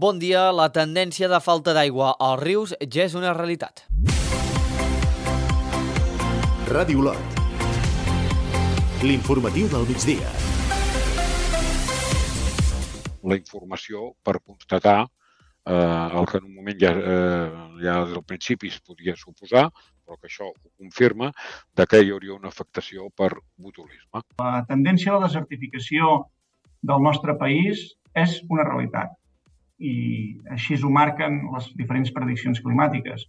Bon dia, la tendència de falta d'aigua als rius ja és una realitat. Ràdio Olot. L'informatiu del migdia. La informació per constatar el que en un moment ja des del principi es podia suposar, però que això ho confirma, que hi hauria una afectació per botulisme. La tendència a la desertificació del nostre país és una realitat i així ho marquen les diferents prediccions climàtiques.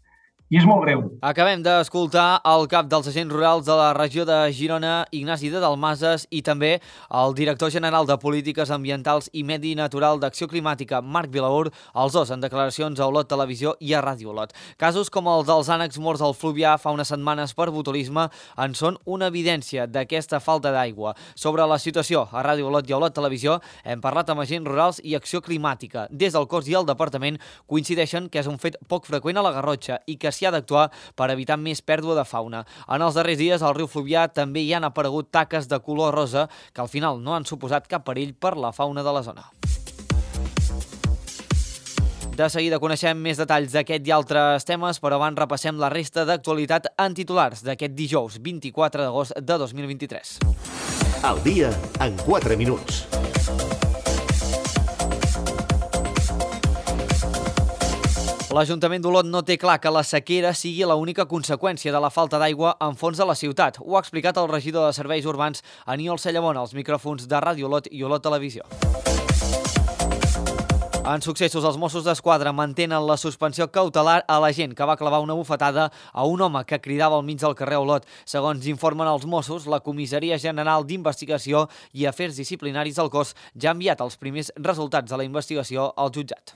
I és molt greu. Acabem d'escoltar el cap dels agents rurals de la regió de Girona, Ignasi de Dalmases, i també el director general de Polítiques Ambientals i Medi Natural d'Acció Climàtica, Marc Vilaur, els dos en declaracions a Olot Televisió i a Ràdio Olot. Casos com els dels ànecs morts al Fluvià fa unes setmanes per botulisme en són una evidència d'aquesta falta d'aigua. Sobre la situació a Ràdio Olot i a Olot Televisió hem parlat amb agents rurals i Acció Climàtica. Des del cos i el departament coincideixen que és un fet poc freqüent a la Garrotxa i que s'hi ha d'actuar per evitar més pèrdua de fauna. En els darrers dies al riu Fluvià també hi han aparegut taques de color rosa que al final no han suposat cap perill per la fauna de la zona. De seguida coneixem més detalls d'aquest i altres temes, però abans repassem la resta d'actualitat en titulars d'aquest dijous 24 d'agost de 2023. El dia en 4 minuts. L'Ajuntament d'Olot no té clar que la sequera sigui l'única conseqüència de la falta d'aigua en fons de la ciutat. Ho ha explicat el regidor de Serveis Urbans, Aniol Cellamón, als micròfons de Ràdio Olot i Olot Televisió. En successos, els Mossos d'Esquadra mantenen la suspensió cautelar a l'agent que va clavar una bufetada a un home que cridava al mig del carrer Olot. Segons informen els Mossos, la Comissaria General d'Investigació i Afers Disciplinaris del cos ja ha enviat els primers resultats de la investigació al jutjat.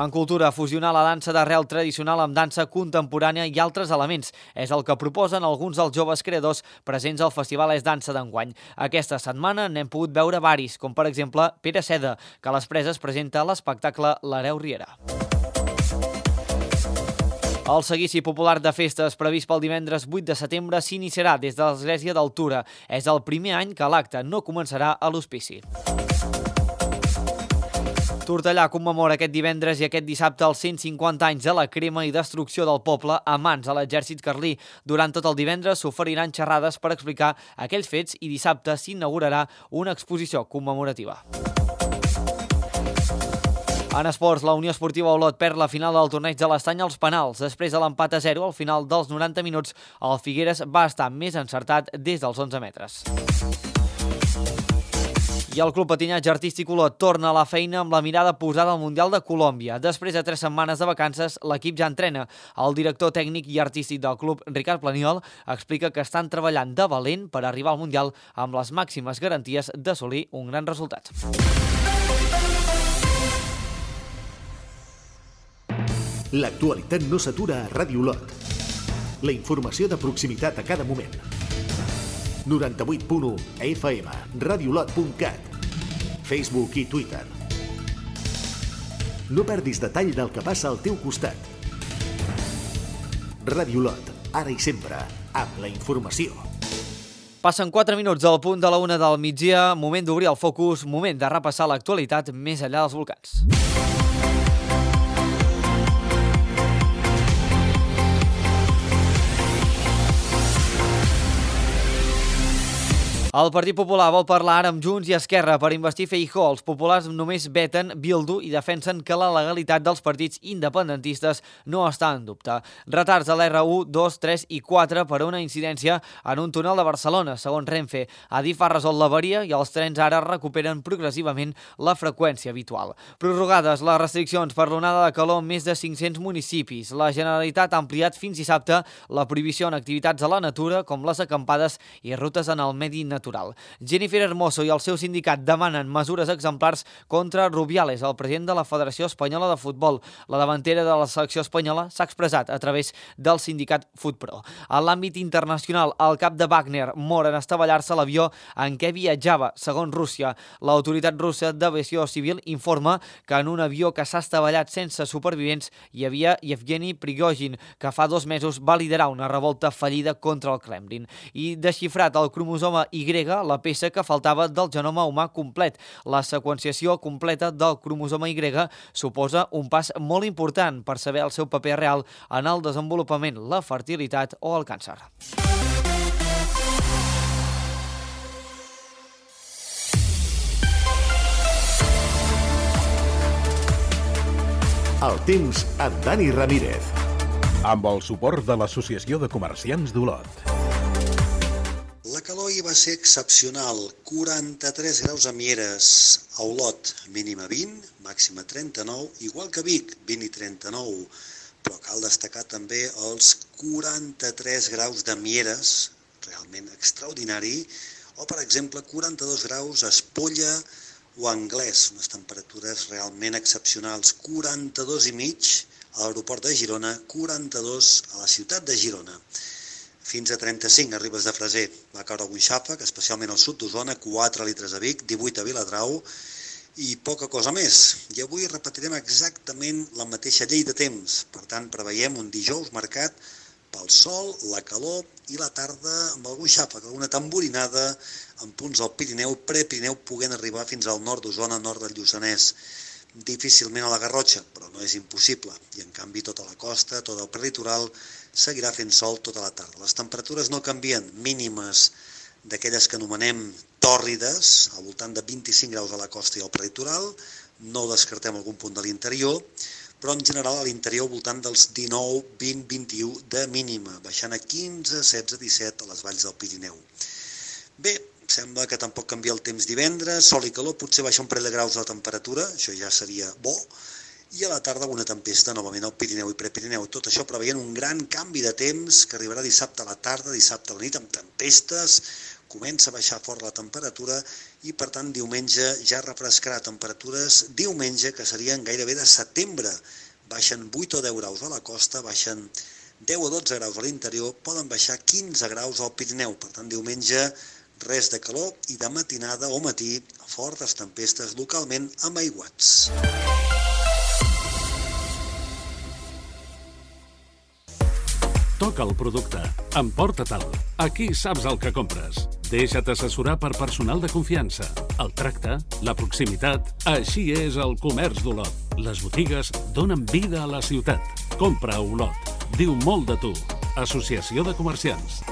En cultura, fusionar la dansa d'arrel tradicional amb dansa contemporània i altres elements és el que proposen alguns dels joves creadors presents al Festival És Dansa d'enguany. Aquesta setmana n'hem pogut veure varis, com per exemple Pere Seda, que a les Preses presenta l'espectacle L'Hereu Riera. El seguici popular de festes previst pel divendres 8 de setembre s'iniciarà des de l'Església d'Altura. És el primer any que l'acte no començarà a l'hospici. Tortellà commemora aquest divendres i aquest dissabte els 150 anys de la crema i destrucció del poble a mans de l'exèrcit carlí. Durant tot el divendres s'oferiran xerrades per explicar aquells fets i dissabte s'inaugurarà una exposició commemorativa. En esports, la Unió Esportiva Olot perd la final del torneig de l'Estany als penals. Després de l'empat a 0 al final dels 90 minuts, el Figueres va estar més encertat des dels 11 metres. I el Club Patinatge Artístic Olot torna a la feina amb la mirada posada al Mundial de Colòmbia. Després de 3 setmanes de vacances, l'equip ja entrena. El director tècnic i artístic del club, Ricard Planiol, explica que estan treballant de valent per arribar al Mundial amb les màximes garanties d'assolir un gran resultat. L'actualitat no s'atura a Ràdio Olot. La informació de proximitat a cada moment. 98.1 FM, radiolot.cat, Facebook i Twitter. No perdis detall del que passa al teu costat. Ràdio Olot, ara i sempre, amb la informació. Passen 4 minuts al punt de la 1 del migdia, moment d'obrir el focus, moment de repassar l'actualitat més enllà dels volcans. El Partit Popular vol parlar ara amb Junts i Esquerra per investir Feijóo. Els populars només veten Bildu i defensen que la legalitat dels partits independentistes no està en dubte. Retards a l'R1, 2, 3 i 4 per una incidència en un túnel de Barcelona, segons Renfe. Adif ha resolt l'avaria i els trens ara recuperen progressivament la freqüència habitual. Prorrogades les restriccions per l'onada de calor en més de 500 municipis. La Generalitat ha ampliat fins dissabte la prohibició en activitats a la natura, com les acampades i rutes en el medi natural. Jennifer Hermoso i el seu sindicat demanen mesures exemplars contra Rubiales, el president de la Federació Espanyola de Futbol. La davantera de la selecció espanyola s'ha expressat a través del sindicat Futpro. En l'àmbit internacional, el cap de Wagner mor en estavellar-se l'avió en què viatjava, segons Rússia. L'autoritat russa d'aviació civil informa que en un avió que s'ha estavellat sense supervivents hi havia Yevgeny Prigozhin, que fa 2 mesos va liderar una revolta fallida contra el Kremlin. I desxifrat el cromosoma Y Y, la peça que faltava del genoma humà complet. La seqüenciació completa del cromosoma Y suposa un pas molt important per saber el seu paper real en el desenvolupament, la fertilitat o el càncer. El temps amb Dani Ramírez. Amb el suport de l'Associació de Comerciants d'Olot. La calor hi va ser excepcional, 43 graus a Mieres, a Olot, mínima 20, màxima 39, igual que Vic, 20 i 39, però cal destacar també els 43 graus de Mieres, realment extraordinari, o per exemple 42 graus a Espolla o a Anglès, unes temperatures realment excepcionals, 42 i mig a l'aeroport de Girona, 42 a la ciutat de Girona. Fins a 35 a Ribes de Freser va caure algun xàfec, especialment al sud d'Osona, 4 litres a Vic, 18 a Viladrau i poca cosa més. I avui repetirem exactament la mateixa llei de temps. Per tant, preveiem un dijous marcat pel sol, la calor i la tarda amb algun xàfec, alguna tamborinada en punts del Pirineu, prepirineu, podent arribar fins al nord d'Osona, nord del Lluçanès. Difícilment a la Garrotxa, però no és impossible. I en canvi tota la costa, tot el prelitoral, seguirà fent sol tota la tarda. Les temperatures no canvien, mínimes d'aquelles que anomenem tòrrides, al voltant de 25 graus a la costa i al prelitoral, no descartem algun punt de l'interior, però en general a l'interior al voltant dels 19, 20, 21 de mínima, baixant a 15, 16, 17 a les valls del Pirineu. Bé, sembla que tampoc canvia el temps divendres, sol i calor, potser baixa un parell de graus la temperatura, això ja seria bo, i a la tarda una tempesta novament al Pirineu i Prepirineu. Tot això preveient un gran canvi de temps que arribarà dissabte a la tarda, dissabte a la nit, amb tempestes, comença a baixar fort la temperatura i, per tant, diumenge ja refrescarà temperatures, diumenge que serien gairebé de setembre. Baixen 8 o 10 graus a la costa, baixen 10 o 12 graus a l'interior, poden baixar 15 graus al Pirineu. Per tant, diumenge res de calor i de matinada o matí fortes tempestes localment amb aiguats. Toca el producte. Emporta-te'l. Aquí saps el que compres. Deixa't assessorar per personal de confiança. El tracte, la proximitat, així és el comerç d'Olot. Les botigues donen vida a la ciutat. Compra a Olot. Diu molt de tu. Associació de Comerciants.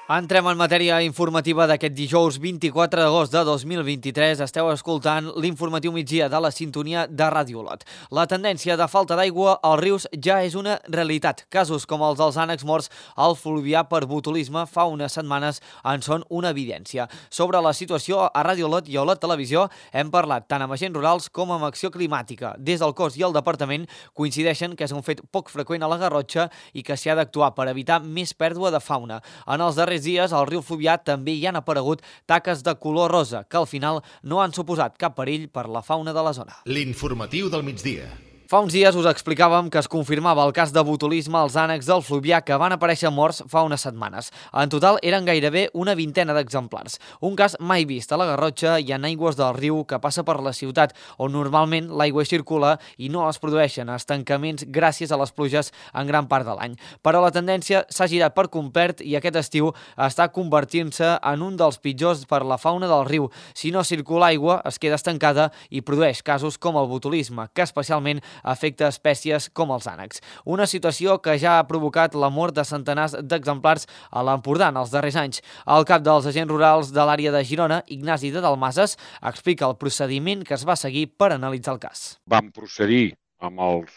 Entrem en matèria informativa d'aquest dijous 24 d'agost de 2023. Esteu escoltant l'informatiu migdia de la sintonia de Ràdio Olot. La tendència de falta d'aigua als rius ja és una realitat. Casos com els dels ànecs morts al Fluvià per botulisme fa unes setmanes en són una evidència. Sobre la situació a Ràdio Olot i a Olot Televisió hem parlat tant amb agents rurals com amb acció climàtica. Des del cos i el departament coincideixen que és un fet poc freqüent a la Garrotxa i que s'hi ha d'actuar per evitar més pèrdua de fauna. En els darrers dies al riu Fluvià també hi han aparegut taques de color rosa, que al final no han suposat cap perill per la fauna de la zona. L'informatiu del migdia. Fa uns dies us explicàvem que es confirmava el cas de botulisme als ànecs del Fluvià que van aparèixer morts fa unes setmanes. En total eren gairebé una vintena d'exemplars. Un cas mai vist a la Garrotxa i en aigües del riu que passa per la ciutat, on normalment l'aigua circula i no es produeixen estancaments gràcies a les pluges en gran part de l'any. Però la tendència s'ha girat per complet i aquest estiu està convertint-se en un dels pitjors per la fauna del riu. Si no circula aigua, es queda estancada i produeix casos com el botulisme, que especialment afecta espècies com els ànecs. Una situació que ja ha provocat la mort de centenars d'exemplars a l'Empordà en els darrers anys. El cap dels agents rurals de l'àrea de Girona, Ignasi de Dalmases, explica el procediment que es va seguir per analitzar el cas. Vam procedir amb els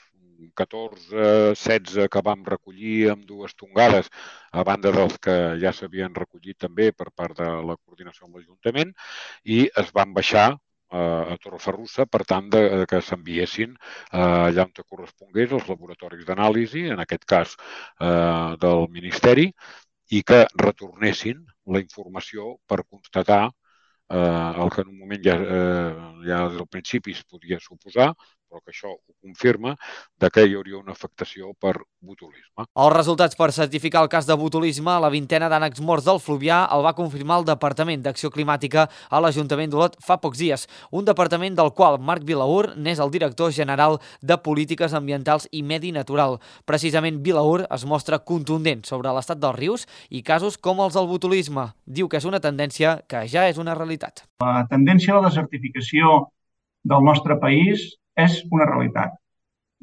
14-16 que vam recollir amb dues tongades, a banda dels que ja s'havien recollit també per part de la coordinació amb l'Ajuntament, i es van baixar a Torreferrussa, per tant, que s'enviessin allà on correspongués als laboratoris d'anàlisi, en aquest cas del Ministeri, i que retornessin la informació per constatar el que en un moment ja des del principi es podia suposar, però que això ho confirma, que hi hauria una afectació per botulisme. Els resultats per certificar el cas de botulisme a la vintena d'ànecs morts del Fluvià el va confirmar el Departament d'Acció Climàtica a l'Ajuntament d'Olot fa pocs dies, un departament del qual Marc Vilaur n'és el director general de Polítiques Ambientals i Medi Natural. Precisament Vilaur es mostra contundent sobre l'estat dels rius i casos com els del botulisme. Diu que és una tendència que ja és una realitat. La tendència a la desertificació del nostre país és una realitat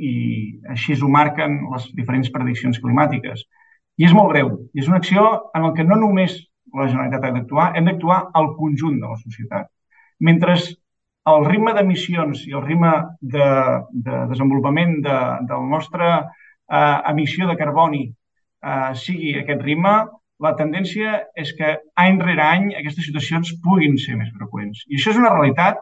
i així ho marquen les diferents prediccions climàtiques. I és molt greu. I és una acció en la que no només la Generalitat ha d'actuar, hem d'actuar al conjunt de la societat. Mentre el ritme d'emissions i el ritme de desenvolupament del nostre emissió de carboni sigui aquest ritme, la tendència és que any rere any aquestes situacions puguin ser més freqüents. I això és una realitat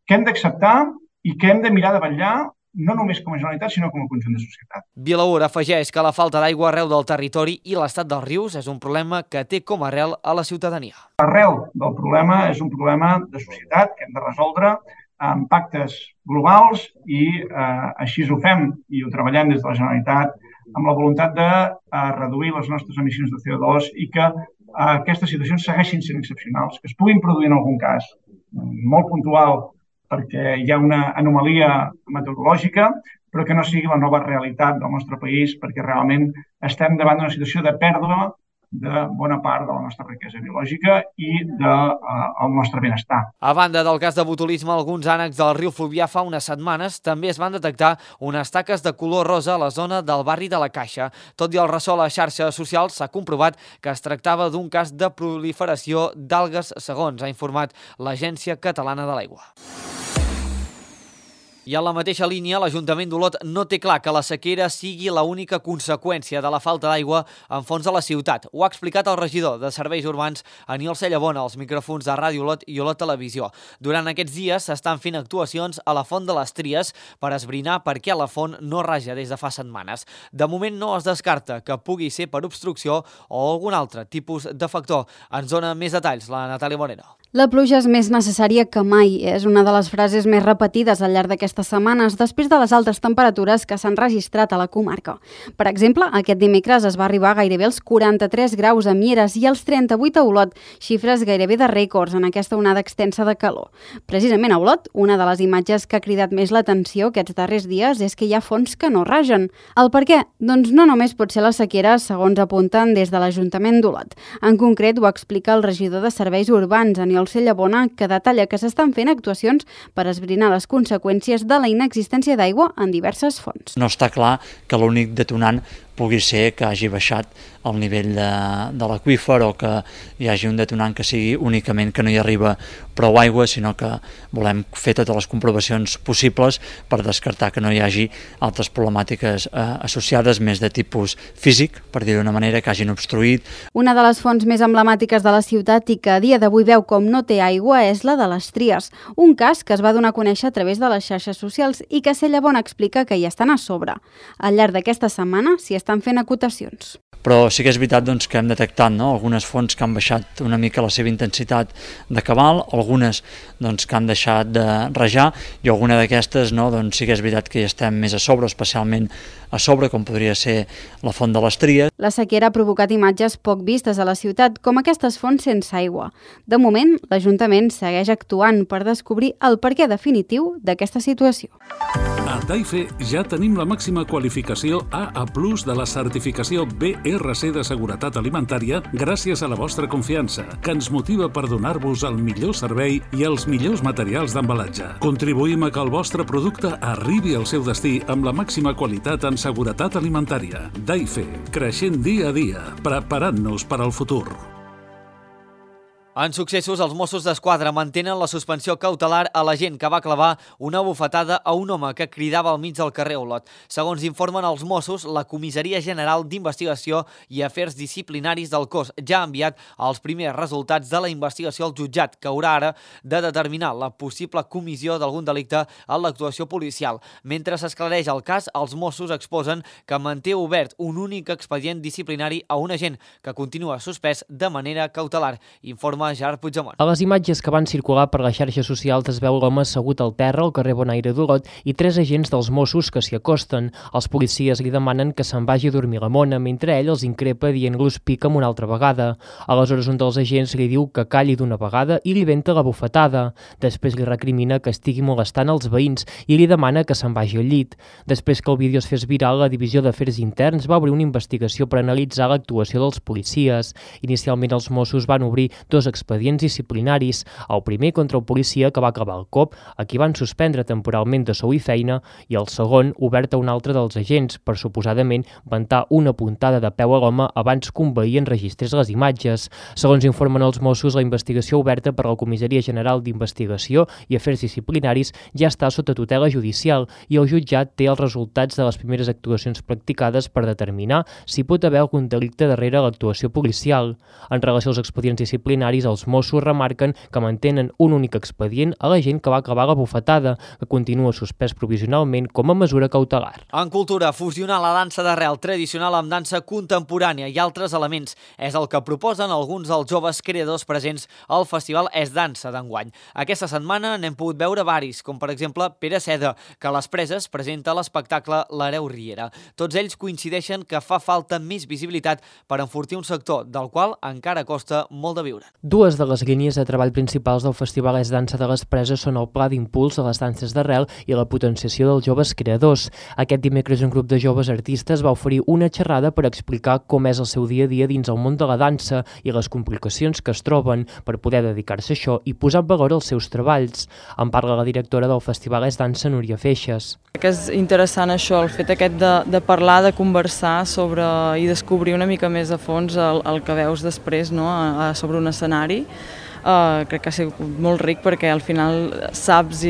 que hem d'acceptar i que hem de mirar de vetllar no només com a Generalitat, sinó com a conjunt de societat. Vilaur afegeix que la falta d'aigua arreu del territori i l'estat dels rius és un problema que té com a arrel a la ciutadania. L'arrel del problema és un problema de societat que hem de resoldre amb pactes globals i així ho fem i ho treballem des de la Generalitat amb la voluntat de reduir les nostres emissions de CO2 i que aquestes situacions segueixin sent excepcionals, que es puguin produir en algun cas molt puntual perquè hi ha una anomalia meteorològica, però que no sigui la nova realitat del nostre país, perquè realment estem davant d'una situació de pèrdua de bona part de la nostra riquesa biològica i del nostre benestar. A banda del cas de botulisme, alguns ànecs del riu Fluvià fa unes setmanes també es van detectar unes taques de color rosa a la zona del barri de la Caixa. Tot i el ressò a les xarxes socials, s'ha comprovat que es tractava d'un cas de proliferació d'algues segons ha informat l'Agència Catalana de l'Aigua. I en la mateixa línia, l'Ajuntament d'Olot no té clar que la sequera sigui l'única conseqüència de la falta d'aigua en fons de la ciutat. Ho ha explicat el regidor de Serveis Urbans, Aniol Cellabona, als micròfons de Ràdio Olot i Olot Televisió. Durant aquests dies s'estan fent actuacions a la Font de les Tries per esbrinar per què la font no raja des de fa setmanes. De moment no es descarta que pugui ser per obstrucció o algun altre tipus de factor. Ens dona més detalls la Natàlia Moreno. La pluja és més necessària que mai. És una de les frases més repetides al llarg d'aquestes setmanes després de les altes temperatures que s'han registrat a la comarca. Per exemple, aquest dimecres es va arribar gairebé als 43 graus a Mieres i als 38 a Olot, xifres gairebé de rècords en aquesta onada extensa de calor. Precisament a Olot, una de les imatges que ha cridat més l'atenció aquests darrers dies és que hi ha fonts que no ragen. El per què? Doncs no només pot ser la sequera, segons apunten des de l'Ajuntament d'Olot. En concret, ho explica el regidor de Serveis Urbans, Aniol Cellabona, que detalla que s'estan fent actuacions per esbrinar les conseqüències de la inexistència d'aigua en diverses fonts. No està clar que l'únic detonant pugui ser que hagi baixat el nivell de l'aqüífer o que hi hagi un detonant que sigui únicament que no hi arriba prou aigua, sinó que volem fer totes les comprovacions possibles per descartar que no hi hagi altres problemàtiques associades més de tipus físic, per dir d'una manera, que hagin obstruït. Una de les fonts més emblemàtiques de la ciutat i que a dia d'avui veu com no té aigua és la de les Tries, un cas que es va donar a conèixer a través de les xarxes socials i que Cellabona explica que hi estan a sobre. Al llarg d'aquesta setmana s'hi estan fent acotacions. Però sí que és veritat que hem detectat algunes fonts que han baixat una mica la seva intensitat de cabal, algunes que han deixat de rajar i alguna d'aquestes sí que és veritat que hi estem més a sobre, especialment a sobre, com podria ser la font de les Tries. La sequera ha provocat imatges poc vistes a la ciutat, com aquestes fonts sense aigua. De moment, l'Ajuntament segueix actuant per descobrir el perquè definitiu d'aquesta situació. A Daife ja tenim la màxima qualificació AA+ de la certificació BRC de seguretat alimentària gràcies a la vostra confiança, que ens motiva per donar-vos el millor servei i els millors materials d'embalatge. Contribuïm a que el vostre producte arribi al seu destí amb la màxima qualitat en seguretat alimentària. Daife, creixent dia a dia, preparant-nos per al futur. En successos, els Mossos d'Esquadra mantenen la suspensió cautelar a l'agent que va clavar una bufetada a un home que cridava al mig del carrer Olot. Segons informen els Mossos, la Comissaria General d'Investigació i Afers Disciplinaris del cos ja ha enviat els primers resultats de la investigació al jutjat, que haurà ara de determinar la possible comissió d'algun delicte en l'actuació policial. Mentre s'esclareix el cas, els Mossos exposen que manté obert un únic expedient disciplinari a un agent que continua suspès de manera cautelar, informa informa Gerard Puigdemont. A les imatges que van circular per les xarxes socials es veu l'home assegut al terra al carrer Bonaire d'Olot i 3 agents dels Mossos que s'hi acosten. Els policies li demanen que se'n vagi a dormir la mona, mentre ell els increpa dient-los pica'm una altra vegada. Aleshores un dels agents li diu que calli d'una vegada i li venta la bufetada. Després li recrimina que estigui molestant els veïns i li demana que se'n vagi al llit. Després que el vídeo es fes viral, la Divisió d'Afers Interns va obrir una investigació per analitzar l'actuació dels policies. Inicialment els Mossos van obrir 2 expedients disciplinaris, el primer contra el policia que va clavar el cop, a qui van suspendre temporalment de sou i feina, i el segon obert a un altre dels agents per suposadament ventar una puntada de peu a l'home abans que un veí enregistrés les imatges. Segons informen els Mossos, la investigació oberta per la Comissaria General d'Investigació i Afers Disciplinaris ja està sota tutela judicial i el jutjat té els resultats de les primeres actuacions practicades per determinar si pot haver algun delicte darrere l'actuació policial. En relació als expedients disciplinaris, els Mossos remarquen que mantenen un únic expedient a la gent que va clavar la bufetada, que continua suspès provisionalment com a mesura cautelar. En cultura, fusionar la dansa d'arrel tradicional amb dansa contemporània i altres elements és el que proposen alguns dels joves creadors presents al Festival Es Dansa d'enguany. Aquesta setmana n'hem pogut veure varis, com per exemple Pere Seda, que a les Preses presenta l'espectacle L'Hereu Riera. Tots ells coincideixen que fa falta més visibilitat per enfortir un sector del qual encara costa molt de viure. Dues de les línies de treball principals del Festival Es Dansa de les Preses són el pla d'impuls a les danses d'arrel i la potenciació dels joves creadors. Aquest dimecres un grup de joves artistes va oferir una xerrada per explicar com és el seu dia a dia dins el món de la dansa i les complicacions que es troben per poder dedicar-se a això i posar en valor els seus treballs. En parla la directora del Festival Es Dansa, Núria Feixes. Que és interessant això, el fet aquest de parlar, de conversar sobre i descobrir una mica més a fons el que veus després, no? Sobre un escenari. Crec que ha sigut molt ric perquè al final saps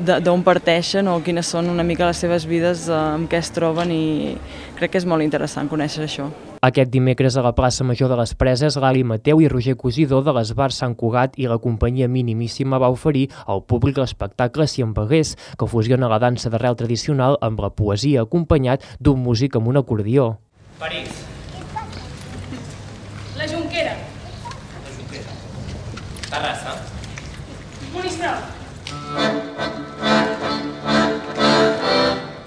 d'on parteixen o quines són una mica les seves vides, amb què es troben, i crec que és molt interessant conèixer això. Aquest dimecres a la plaça Major de les Preses, l'Ali Mateu i Roger Cosidor de l'Esbar Sant Cugat i la companyia Minimíssima va oferir al públic l'espectacle Si em vegués, que fusiona la dansa d'arrel tradicional amb la poesia, acompanyat d'un músic amb un acordió. París. La Jonquera. Terrassa. Monistrol.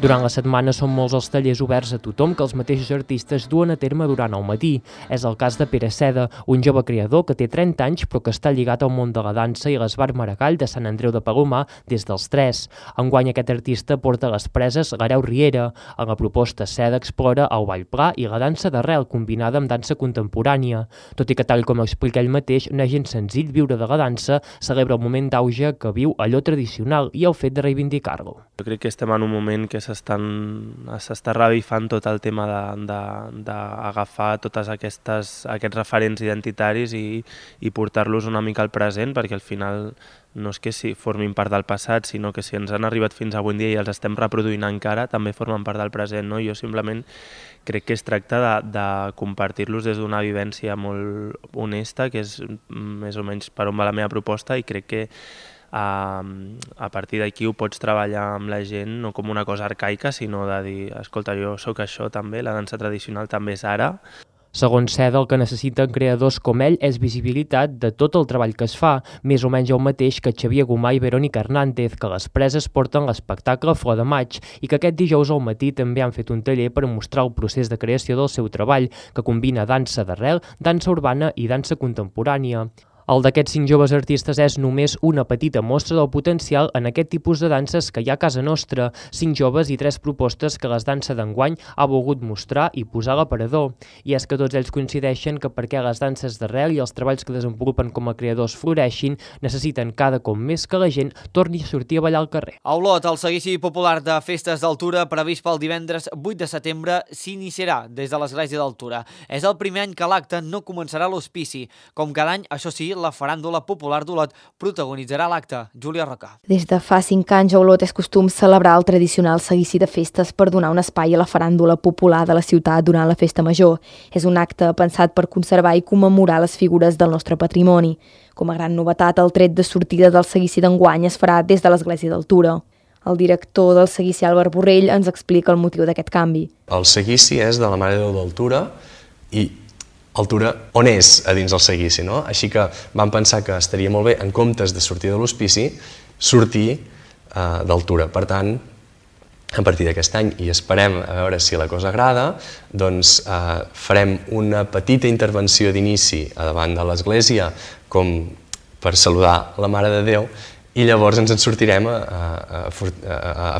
Durant la setmana són molts els tallers oberts a tothom que els mateixos artistes duen a terme durant el matí. És el cas de Pere Seda, un jove creador que té 30 anys però que està lligat al món de la dansa i l'Esbar Maragall de Sant Andreu de Palomar des dels 3. Enguany aquest artista porta a les Preses l'Hereu Riera. En la proposta Seda explora el ball pla i la dansa d'arrel combinada amb dansa contemporània. Tot i que tal com explica ell mateix, no és gens senzill viure de la dansa, celebra el moment d'auge que viu allò tradicional i el fet de reivindicar-lo. Jo crec que estem en un moment que s'està revifant tot el tema d'agafar tots aquests referents identitaris i portar-los una mica al present, perquè al final no és que formin part del passat, sinó que si ens han arribat fins avui en dia i els estem reproduint encara, també formen part del present, no? Jo simplement crec que es tracta de compartir-los des d'una vivència molt honesta, que és més o menys per on va la meva proposta, i crec que a partir d'aquí ho pots treballar amb la gent no com una cosa arcaica, sinó de dir, escolta, jo sóc això també, la dansa tradicional també és ara. Segons Seda, el que necessiten creadors com ell és visibilitat de tot el treball que es fa, més o menys el mateix que Xavier Gomà i Verònica Hernández, que les Preses porten l'espectacle Flor de Maig i que aquest dijous al matí també han fet un taller per mostrar el procés de creació del seu treball, que combina dansa d'arrel, dansa urbana i dansa contemporània. El d'aquests 5 joves artistes és només una petita mostra del potencial en aquest tipus de danses que hi ha a casa nostra, 5 joves i 3 propostes que les danses d'enguany ha volgut mostrar i posar a l'aparador. I és que tots ells coincideixen que perquè les danses d'arrel i els treballs que desenvolupen com a creadors floreixin, necessiten cada cop més que la gent torni a sortir a ballar al carrer. A Olot, el seguici popular de festes d'altura previst pel divendres 8 de setembre s'iniciarà des de l'Església d'Altura. És el primer any que l'acte no començarà a l'hospici. Com cada any, això sí, la faràndula popular d'Olot protagonitzarà l'acte. Júlia Roca. Des de fa 5 anys a Olot és costum celebrar el tradicional seguici de festes per donar un espai a la faràndula popular de la ciutat durant la festa major. És un acte pensat per conservar i commemorar les figures del nostre patrimoni. Com a gran novetat, el tret de sortida del seguici d'enguany es farà des de l'Església d'Altura. El director del seguici, Albert Borrell, ens explica el motiu d'aquest canvi. El seguici és de la Mare de Déu d'Altura i el Tura on és a dins el seguici, no? Així que vam pensar que estaria molt bé, en comptes de sortir de l'hospici, sortir del Tura. Per tant, a partir d'aquest any, i esperem a veure si la cosa agrada, doncs farem una petita intervenció d'inici davant de l'església com per saludar la Mare de Déu, i llavors ens en sortirem a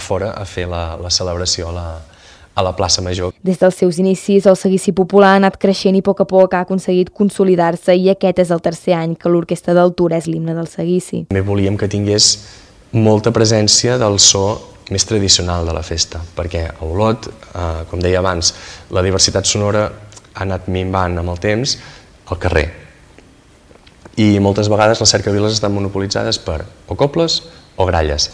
fora a fer la celebració a la plaça Major. Des dels seus inicis, el seguici popular ha anat creixent i a poc ha aconseguit consolidar-se, i aquest és el tercer any que l'Orquestra del Tura és l'himne del seguici. També volíem que tingués molta presència del so més tradicional de la festa, perquè a Olot, com deia abans, la diversitat sonora ha anat minvant amb el temps al carrer. I moltes vegades les cercaviles estan monopolitzades per o cobles o gralles.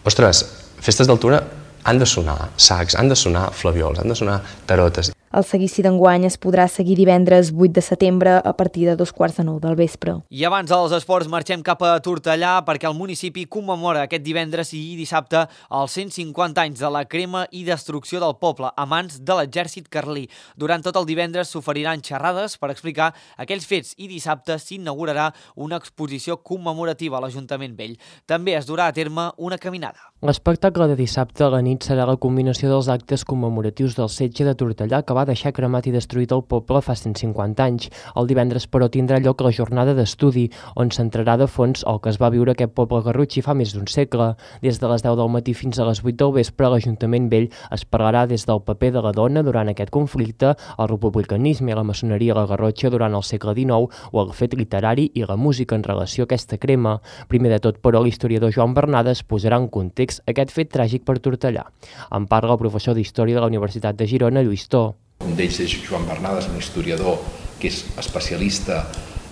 Ostres, festes d'altura han de sonar sacs, han de sonar flaviols, han de sonar tarotes. El seguici d'enguany es podrà seguir divendres 8 de setembre a partir de 8:45 del vespre. I abans dels esports marxem cap a Tortellà perquè el municipi commemora aquest divendres i dissabte els 150 anys de la crema i destrucció del poble a mans de l'exèrcit carlí. Durant tot el divendres s'oferiran xerrades per explicar aquells fets i dissabte s'inaugurarà una exposició commemorativa a l'Ajuntament Vell. També es durà a terme una caminada. L'espectacle de dissabte a la nit serà la combinació dels actes commemoratius del setge de Tortellà que va deixar cremat i destruït el poble fa 150 anys. El divendres, però, tindrà lloc la jornada d'estudi, on s'entrarà de fons el que es va viure aquest poble garrotxí fa més d'un segle. Des de les 10 del matí fins a les 8 del vespre, a l'Ajuntament Vell es parlarà des del paper de la dona durant aquest conflicte, el republicanisme i la maçoneria a la Garrotxa durant el segle XIX o el fet literari i la música en relació a aquesta crema. Primer de tot, però, l'historiador Joan Bernades posarà en context aquest fet tràgic per Tortellà. En parla el professor d'Història de la Universitat de Girona, Lluís Tó. Un d'ells és Joan Bernades, un historiador que és especialista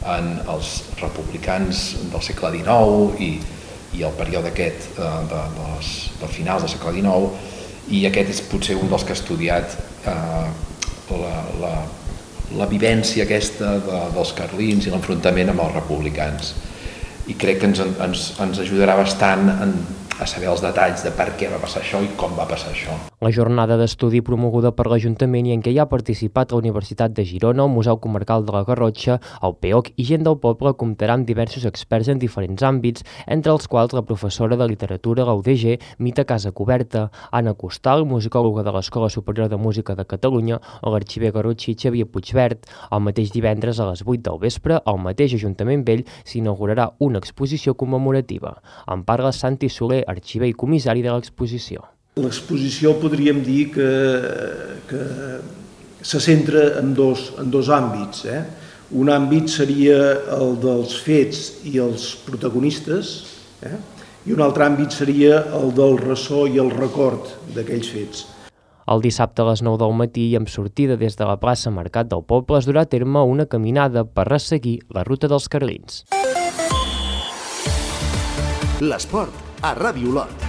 en els republicans del segle XIX i el període aquest del final del segle XIX, i aquest és potser un dels que ha estudiat la vivència aquesta dels carlins i l'enfrontament amb els republicans. I crec que ens ajudarà bastant a saber els detalls de per què va passar això i com va passar això. La jornada d'estudi promoguda per l'Ajuntament i en què hi ha participat la Universitat de Girona, el Museu Comarcal de la Garrotxa, el PEOC i gent del poble comptarà amb diversos experts en diferents àmbits, entre els quals la professora de literatura a la UDG, Mita Casacoberta, Anna Costal, musicòloga de l'Escola Superior de Música de Catalunya, o l'arxiver garrotxí Xavier Puigvert. El mateix divendres a les 8 del vespre, al mateix Ajuntament Vell, s'inaugurarà una exposició commemorativa. En parla Santi Soler, arxiver i comissari de l'exposició. L'exposició podríem dir que se centra en dos àmbits. Un àmbit seria el dels fets i els protagonistes, i un altre àmbit seria el del ressò i el record d'aquells fets. El dissabte a les 9 del matí i amb sortida des de la plaça Mercat del Poble es durà a terme una caminada per resseguir la ruta dels carlins. L'esport a Ràdio Olot.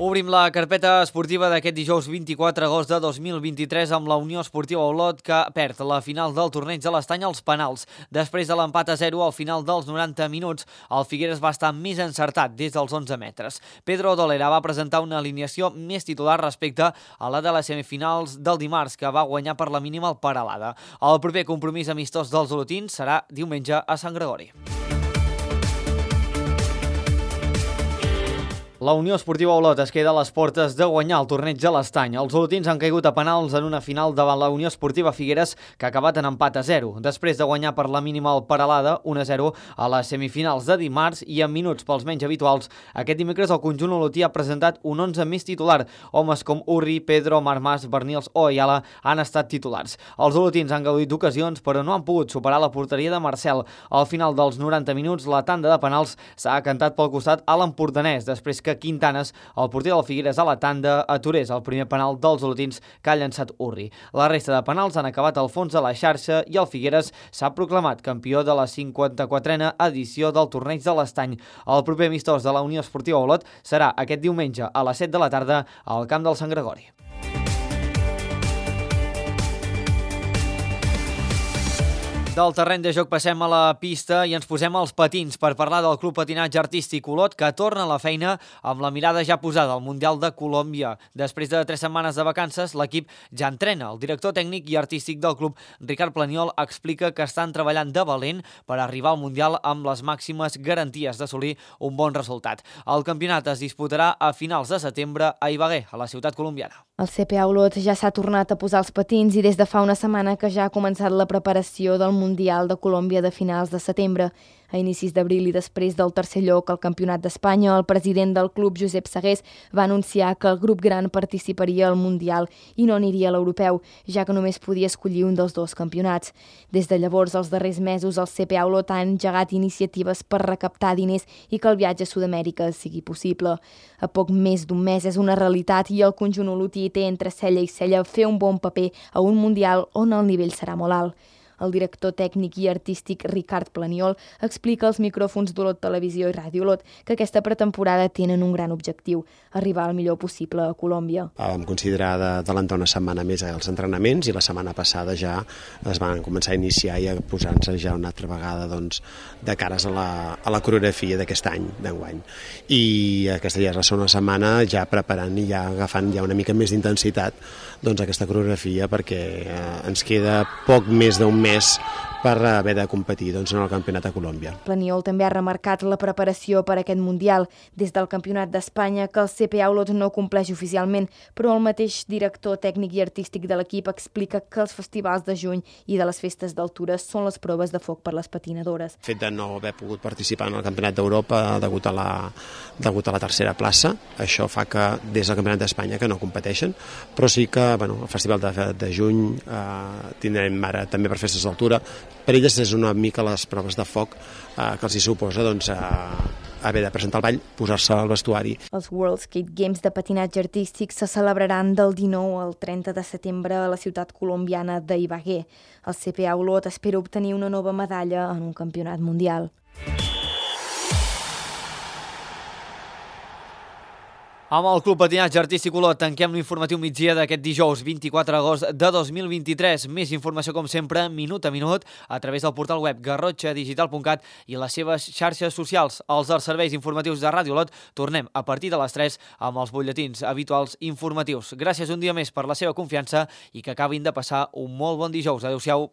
Obrim la carpeta esportiva d'aquest dijous 24 d'agost de 2023 amb la Unió Esportiva Olot, que perd la final del torneig de l'Estany als penals. Després de l'empat a 0 al final dels 90 minuts, el Figueres va estar més encertat des dels 11 metres. Pedro Dolera va presentar una alineació més titular respecte a la de les semifinals del dimarts, que va guanyar per la mínima el Peralada. El proper compromís amistós dels olotins serà diumenge a Sant Gregori. La Unió Esportiva Olot es queda a les portes de guanyar el torneig de l'Estany. Els olotins han caigut a penals en una final davant la Unió Esportiva Figueres, que ha acabat en empat a 0, després de guanyar per la mínima el Peralada 1-0 a les semifinals de dimarts, i en minuts pels menys habituals. Aquest dimecres el conjunt olotí ha presentat un 11 més titular. Homes com Urri, Pedro, Marmàs, Bernils o Ayala han estat titulars. Els olotins han gaudit d'ocasions, però no han pogut superar la porteria de Marcel. Al final dels 90 minuts, la tanda de penals s'ha cantat pel costat a l'empordanès, després que Quintanes, el porter del Figueres a la tanda, aturés el primer penal dels olotins que ha llançat Urri. La resta de penals han acabat al fons de la xarxa i el Figueres s'ha proclamat campió de la 54a edició del torneig de l'Estany. El proper amistós de la Unió Esportiva Olot serà aquest diumenge a les 7 de la tarda al camp del Sant Gregori. Del terreny de joc passem a la pista i ens posem als patins per parlar del Club Patinatge Artístic Olot, que torna a la feina amb la mirada ja posada al Mundial de Colòmbia. Després de 3 setmanes de vacances, l'equip ja entrena. El director tècnic i artístic del club, Ricard Planiol, explica que estan treballant de valent per arribar al Mundial amb les màximes garanties d'assolir un bon resultat. El campionat es disputarà a finals de setembre a Ibagué, a la ciutat colombiana. El CPA Olot ja s'ha tornat a posar els patins i des de fa una setmana que ja ha començat la preparació del Mundial de Colòmbia de finals de setembre. A inicis d'abril i després del tercer lloc al Campionat d'Espanya, el president del club, Josep Segués, va anunciar que el grup gran participaria al Mundial i no aniria a l'Europeu, ja que només podia escollir un dels 2 campionats. Des de llavors, els darrers mesos, el CPA Olot ha engegat iniciatives per recaptar diners i que el viatge a Sud-amèrica sigui possible. A poc més d'un mes és una realitat i el conjunt olotí té entre cella i cella fer un bon paper a un Mundial on el nivell serà molt alt. El director tècnic i artístic Ricard Planiol explica als micròfons d'Olot Televisió i Ràdio Olot que aquesta pretemporada tenen un gran objectiu, arribar el millor possible a Colòmbia. Vam considerar d'adelantar una setmana més als entrenaments i la setmana passada ja es van començar a iniciar i a posar-nos ja una altra vegada de cares a la coreografia d'aquest any, d'enguany. I aquesta ja és la segona setmana ja preparant i ja agafant ja una mica més d'intensitat aquesta coreografia perquè ens queda poc més d'un mes per haver de competir en el Campionat de Colòmbia. Planiol també ha remarcat la preparació per a aquest Mundial. Des del Campionat d'Espanya, que el CPA Olot no compleix oficialment, però el mateix director tècnic i artístic de l'equip explica que els festivals de juny i de les festes d'altura són les proves de foc per les patinadores. El fet de no haver pogut participar en el Campionat d'Europa degut a la tercera plaça, això fa que des del Campionat d'Espanya que no competeixen, però sí que el Festival de juny tindrem ara també per festes d'altura. Per elles és una mica les proves de foc que els hi suposa haver de presentar el ball, posar-se al vestuari. Els World Skate Games de patinatge artístic se celebraran del 19 al 30 de setembre a la ciutat colombiana d'Ibagué. El CPA Olot espera obtenir una nova medalla en un campionat mundial. Amb el Club Patinatge Artístic Olot tanquem l'informatiu migdia d'aquest dijous 24 d'agost de 2023. Més informació, com sempre, minut a minut, a través del portal web garrotxadigital.cat i les seves xarxes socials. Els serveis informatius de Ràdio Olot tornem a partir de les 3 amb els butlletins habituals informatius. Gràcies un dia més per la seva confiança i que acabin de passar un molt bon dijous. Adéu-siau.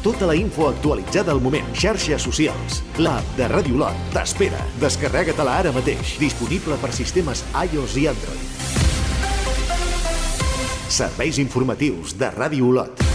Tota la info actualitzada al moment. Xarxes socials. L'app de Ràdio Olot t'espera. Descarrega-te-la ara mateix. Disponible per sistemes iOS i Android. Serveis informatius de Ràdio Olot.